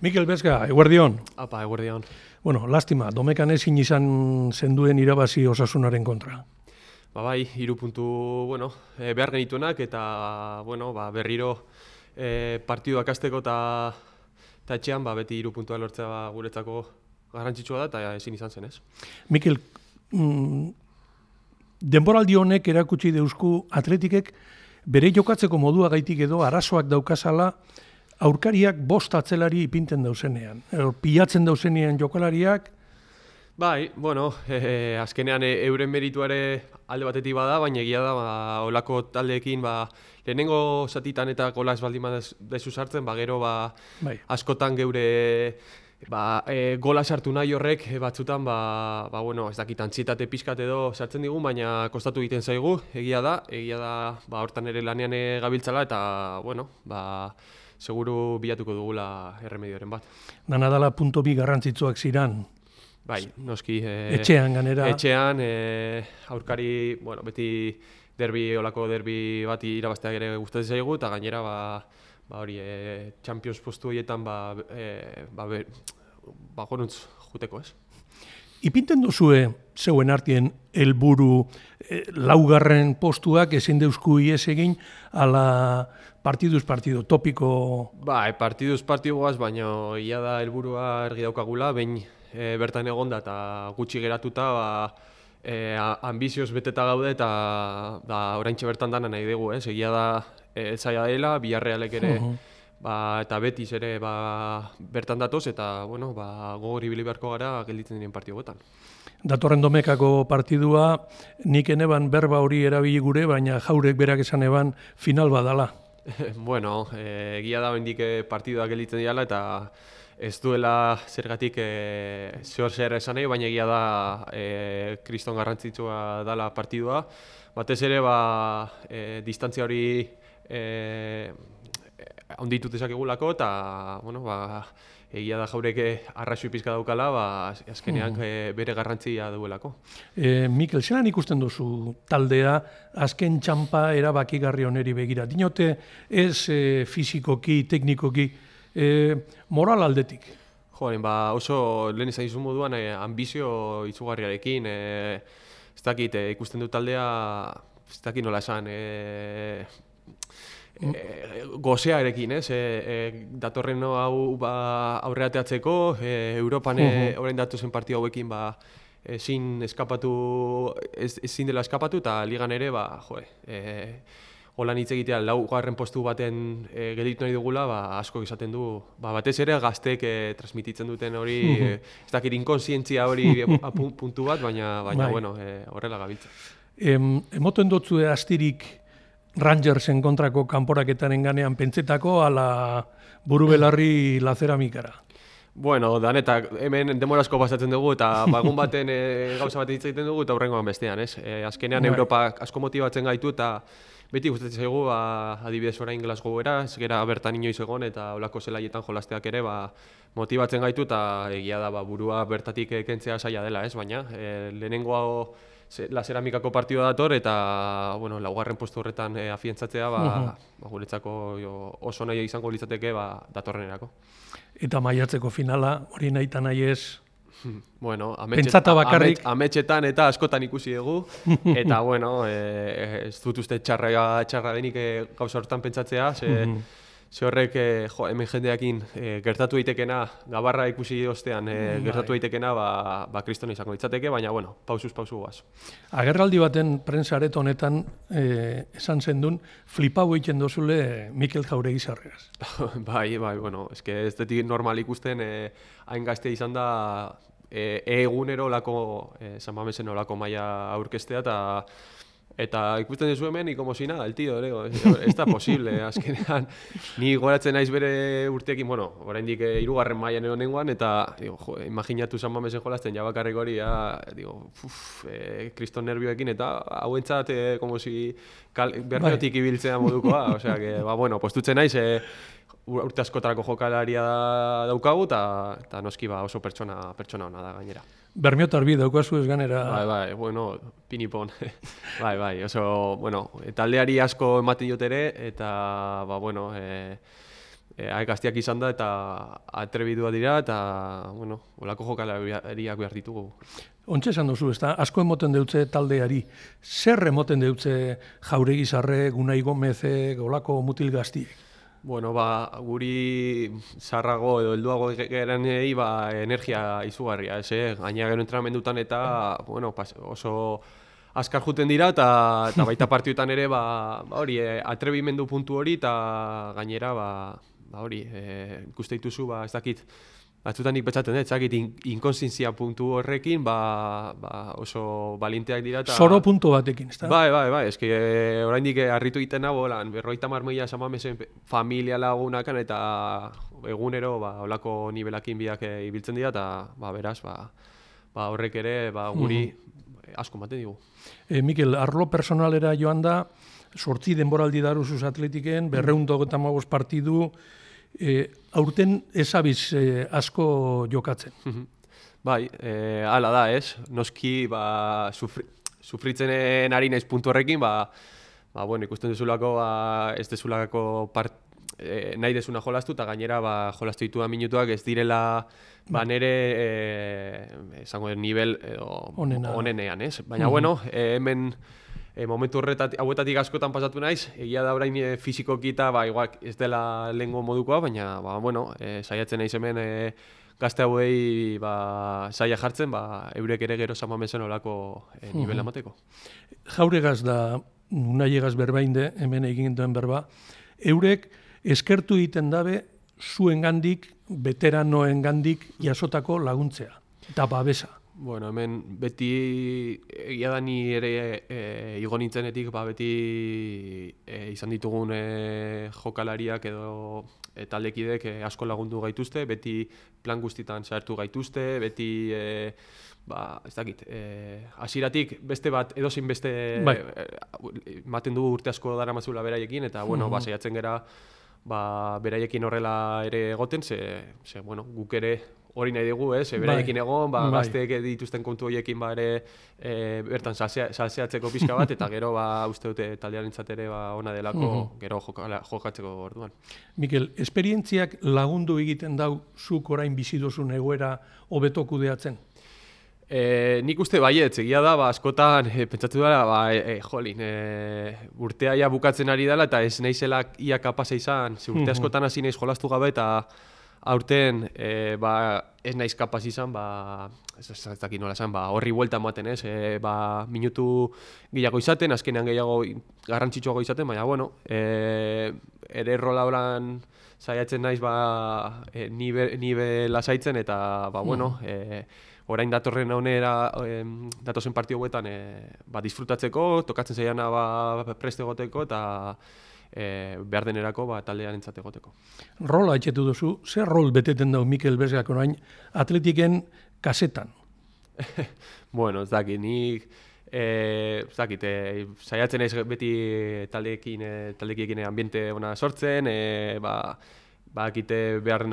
Mikel Bezga, eguerdion. Apa, eguerdion. Bueno, lastima, Domekan ezin izan zenduen irabazi Osasunaren kontra. Bai, 3 puntu, behar genituenak eta, berriro partiduak hasteko eta etxean, beti 3 puntua lortzea guretzako garrantzitsua da eta ezin izan zen, ez? Mikel, denboraldi honek erakutsi deusku Atletikek bere jokatzeko modua gaitik edo arazoak daukazala aurkariak 5 atzelari ipinten dauzenean. Pilatzen dauzenean jokalariak. Bai, azkenean euren merituare alde batetik bada, baina egia da, olako taldeekin, lehenengo zatitan eta gola ez baldin dezu sartzen, gero bai. Askotan geure gola sartu nahi horrek batzutan, ez dakit antsietate pixkat edo sartzen digu, baina kostatu egiten zaigu, egia da, hortan ere lanean gabiltzala eta, seguru bilatuko dugula erremedioren bat. Dana dala punto bi garrantzitsuak ziran. Bai, noski. Etxean ganera. Etxean, aurkari, beti olako derbi bat irabazteak ere gustatzen zaigu, eta gainera, hori, Champions postu horietan, goruntz juteko, ez? Ipinten duzue zeuen artien helburu laugarren postuak ezin deusku ies egin ala partiduz partidu topiko. Bai, partiduz partiduaz, baina ia da helburua argi daukagula, behin bertan egonda eta gutxi geratuta, ambizioz beteta gaude eta oraintxe bertan dana nahi dugu, ez? Egia da zaila dela, Villarrealek ere eta Betis ere bertan datoz eta gogor ibili beharko gara gelditzen diren partiduetan. Datorren Domekako partidua, nik eneban berba hori erabili gure, baina Jaurek berak esan eban final badala. Egia da hendik partiduak gelditzen diala eta ez duela zergatik zer esan nahi, baina egia da kriston garrantzitsua dela partidua. Batez ere, distantzia hori onditu dezakegulako eta, egia da Jaurek arrazoi pizka daukala, azkenean bere garrantzia duelako. Mikel, zelan ikusten duzu taldea azken txampa erabakigarri oneri begira? Dinote ez fizikoki, teknikoki, moral aldetik? Oso lehen izan izun moduan ambizio itzugarriarekin, ez dakit ikusten du taldea, ez dakit nola esan, gozearekin, ez? Datorren hau aurreateatzeko, Europan orain datozen partida hauekin ezin dela eskapatu eta ligan ere, holan hitz egitea laugarren postu baten gelditu nahi dugula, asko izaten du, batez ere gazteek transmititzen duten hori, ez dakit inkonsientzia hori puntu bat, baina horrela gabiltza. Emoten dutzu astirik Rangersen kontrako kanporaketaren ganean pentsetako ala buru-belarri la ceramikara? Danetak hemen demorazko pasatzen dugu eta egun baten gauza bat hitz egiten dugu eta hurrengoan bestean, ez? Azkenean Europa asko motibatzen gaitu eta beti gustatzen zaigu, adibidez orain Glasgowera, ez gera bertan inoiz egon eta olako zelaietan jolasteak ere motibatzen gaitu eta egia da burua bertatik kentzea zaila dela, ez? Baina lehenengo la ceramikako partidua dator eta laugarren postu horretan afiantzatzea guretzako oso nahi izango litzateke datorrenerako. Eta maiatzeko finala, hori nahi eta nahi ez? Pentsata bakarrik. Ametxetan eta askotan ikusi dugu, eta ez dut uste txarra denik gauza horretan pentsatzea, ze horrek hemen jendeakin gertatu daitekena, gabarra ikusi ostean gertatu daitekena, kristona izango litzateke, baina pausuz pausu guaz. Agerraldi baten prentsaret honetan esan zendun, flipau egiten dozule Mikel Jauregi Sarregaz. Bai, ez detik normal ikusten, hain gaztea izan da, egunero olako, San Mamesen olako maila aurkestea eta ikusten duzu hemen, como si nada, el tío, ez da posible, azkenean, ni goratzen naiz bere urteekin, oraindik 3. mailan egon nengoan, eta, imaginatu San Mamesen jolazten, jabakarrik hori, kriston nervioekin, eta hauentzat, como si bermeotik ibiltzea modukoa, osea, postutzen naiz, urte askotarako jokalaria daukagu, eta noski oso pertsona ona da gainera. Bermiotar bi daukazu ez ganera. Bai, pinipon. Oso, taldeari asko ematen dut ere, eta, gazteak izan da eta atrebidua dira eta, bueno, olako jokalariak behar ditugu. Ontxe esan duzu, ezta? Asko emoten deutze taldeari. Zer emoten deutze Jauregi Sarrek, Unai Gomezek, olako mutil gaztiek? Bueno, guri zarrago edo helduago gerenei energia izugarria, gaina gero entrenamendutan eta, bueno, oso azkar juten dira eta baita partioetan ere hori atrebimendu puntu hori eta gainera hori ikuste dituzu ez dakit batzutan nik betzaten dut, zakit inkonsientzia puntu horrekin oso balinteak dira eta... Zoro puntu batekin, ezta? Bai, eski oraindik harritu egiten nago, 50 mila samamesen familia lagunakan eta egunero olako nivelakin biak ibiltzen dira eta beraz, horrek ere guri asko ematen digu. Mikel, arlo personalera joan da, 8 denboraldi daruzuz Atletiken, 255 partidu, aurten ezabiz asko jokatzen. Bai, hala da, ez? Noski, sufritzen ari naiz puntu horrekin, bueno, ikusten duzulako, ez dezulako nahi dezuna jolastu, eta gainera jolastu dituan minutuak ez direla nire esango nivel onenean, ez? Baina, bueno, hemen momentu hauetatik askotan pasatu naiz, egia da orain fizikoki eta igual ez dela lehengo modukoa, baina, bueno, saiatzen naiz hemen gazte hauei saia jartzen, eurek ere gero samamezen olako nivela emateko. Jauregaz da, Unaiegaz berbainde, hemen egin duen berba, eurek eskertu egiten dabe zuengandik, veteranoengandik jasotako laguntzea, eta babesa. Bueno, hemen beti egia da ni ere igo nintzenetik beti izan ditugun jokalariak edo taldekidek asko lagundu gaituzte, beti plan guztitan sartu gaituzte, beti ez dakit, hasieratik beste bat edozein beste ematen du urte asko daramazula beraiekin eta bueno, saiatzen gera beraiekin horrela ere egoten, ze bueno, guk ere hori nahi dugu, beraiekin egon, gazteek dituzten kontu horiekin bertan salseatzeko pixka bat, eta gero uste dute taldearentzat ere ona delako gero jokatzeko orduan. Mikel, esperientziak lagundu egiten dau zuk orain bizi duzun egoera hobeto kudeatzen? Nik uste baietz, egia da, askotan pentsatu dela, jolin, urtea ia bukatzen ari dela eta ez naizela ia kapasa izan, urte askotan hasi naiz jolastu gabe eta aurten ez naiz kapaz izan, ez dakit nola esan, horri buelta ematen, minutu gehiago izaten, azkenean gehiago garrantzitsuago izaten, baina, bueno, ere rola horan saiatzen naiz nibe lasaitzen eta, bueno, orain datorren honera, datozen partio hauetan disfrutatzeko, tokatzen zaiana preste egoteko eta behar denerako taldean entzat egoteko. Rola etxetu duzu, zer rol beteten dau Mikel Besgak orain Atletiken kasetan? Bueno, ez dakit, nik saiatzen naiz beti taldeekin ambiente ona sortzen, bakite behar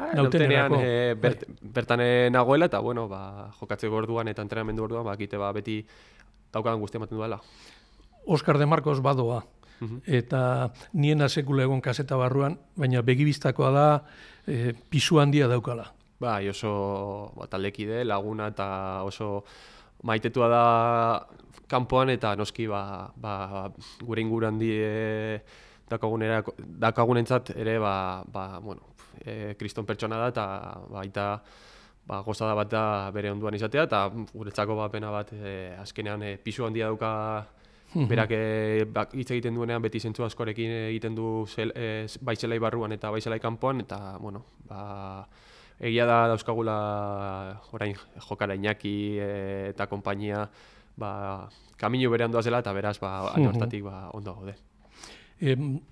nautenean bertan nagoela eta bueno, jokatzeko orduan eta entrenamendu orduan bakite beti daukadan guztia ematen duela. Oskar de Marcos badoa, eta niena sekula egon kaseta barruan, baina begibistakoa da pisu handia daukala. Bai, oso taldekide, laguna eta oso maitetua da kanpoan eta noski gure inguruan dakagunentzat ere kriston pertsona da eta baita gozada bat da bere onduan izatea eta guretzako pena bat azkenean pisu handia dauka berak hitz egiten duenean beti zentzu askorekin egiten du bai zelai barruan eta bai zelai kanpoan eta bueno, egia da dauzkagula orain jokala Iñaki eta konpainia kamino berean doazela eta beraz alde hortatik ondo gaude.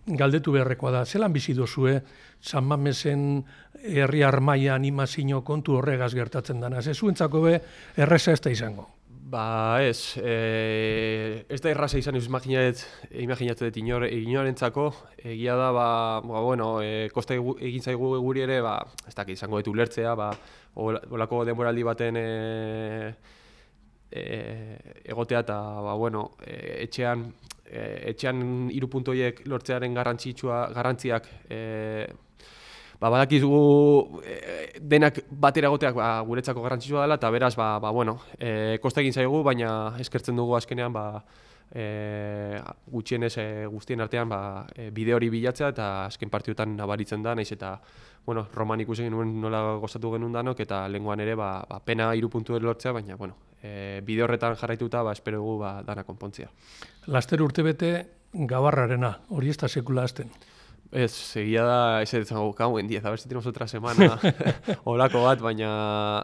Galdetu beharrekoa da, zelan bizi duzue San Mamesen herri armaia animazio kontu horregaz gertatzen dana? Ez zuentzako erreza ez da izango? Ez da erraza izan imaginatzen dut inorentzako, egia da, bueno, kosta egin zaigu guri ere, ez dakit izango dut ulertzea, olako denboraldi baten egotea eta, bueno, etxean etxean 3 puntu horiek lortzearen garrantziak badakizu denak batera egoteak guretzako garrantzitsua dela, eta beraz, kosta egin zaigu, baina eskertzen dugu azkenean, gutxienez guztien artean bide hori bilatzea, eta azken partiduetan nabaritzen da, naiz eta Roman ikusi genuen nola gozatu genuen danok, eta lehengoan ere pena 3 puntu lortzea, baina bide horretan jarraituta espero dugu dana konpontzea. Laster urtebete Gabarrarena, hori ez da sekula azten. Ez, egia da, ez zango, en 10, a ver si tenemos otra semana olako bat, baina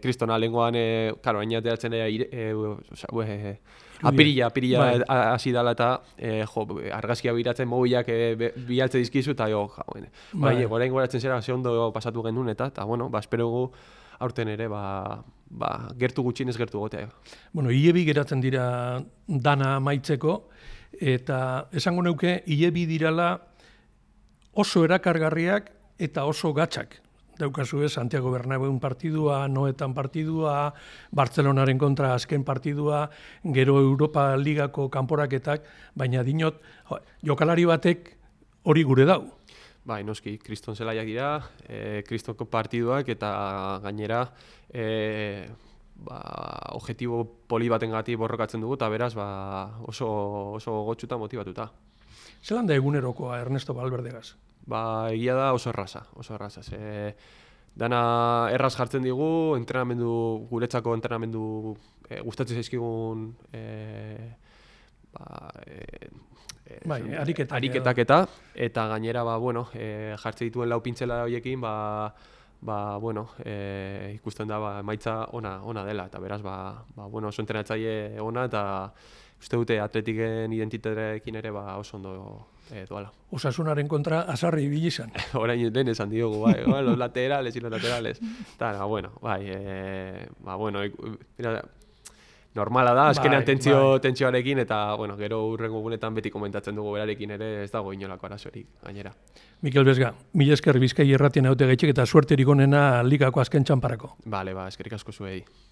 kristona lenguan, karo, ainateatzen apirila hasi dala eta argazkia biratzen mobilak bialtze dizkizu eta gorain goratzen zera ze ondo pasatu genuen eta espero gu aurten ere gertu gutxienez gertu gotea. Hilebi geratzen dira dana amaitzeko, eta esango neuke, hilebi dirala oso erakargarriak eta oso gatzak. Daukazu Santiago Bernabeun partidua, Noetan partidua, Bartzelonaren kontra azken partidua, gero Europa Ligako kanporaketak, baina dinot, jokalari batek hori gure dau. Noski, kriston zelaiak dira, kristonko partiduak eta gainera objektibo poli batengatik borrokatzen dugu eta beraz oso gotxuta motibatuta. Zelan da egunerokoa Ernesto Valverdegaz? Egia da oso erraza. Dana erraz jartzen digu, guretzako entrenamendu gustatzen zaizkigun ariketak eta gainera jartzen dituen lau pintzela horiekin ikusten da emaitza ona dela eta beraz oso entrenatzaile ona eta uste dute atletiken identitatearekin ere oso ondo doala. Osasunaren kontra azarri ibili izan. Orain den esan diogu, los laterales y los laterales. Normala da, azkenean tentsioarekin eta gero hurrengo gunetan beti komentatzen dugu berarekin ere ez dago inolako arazorik gainera. Mikel Bezga, mila esker Bizkai irratien haute gaitxik eta suerterik onena ligako azken txanparako. Bale, eskerrik asko zuei.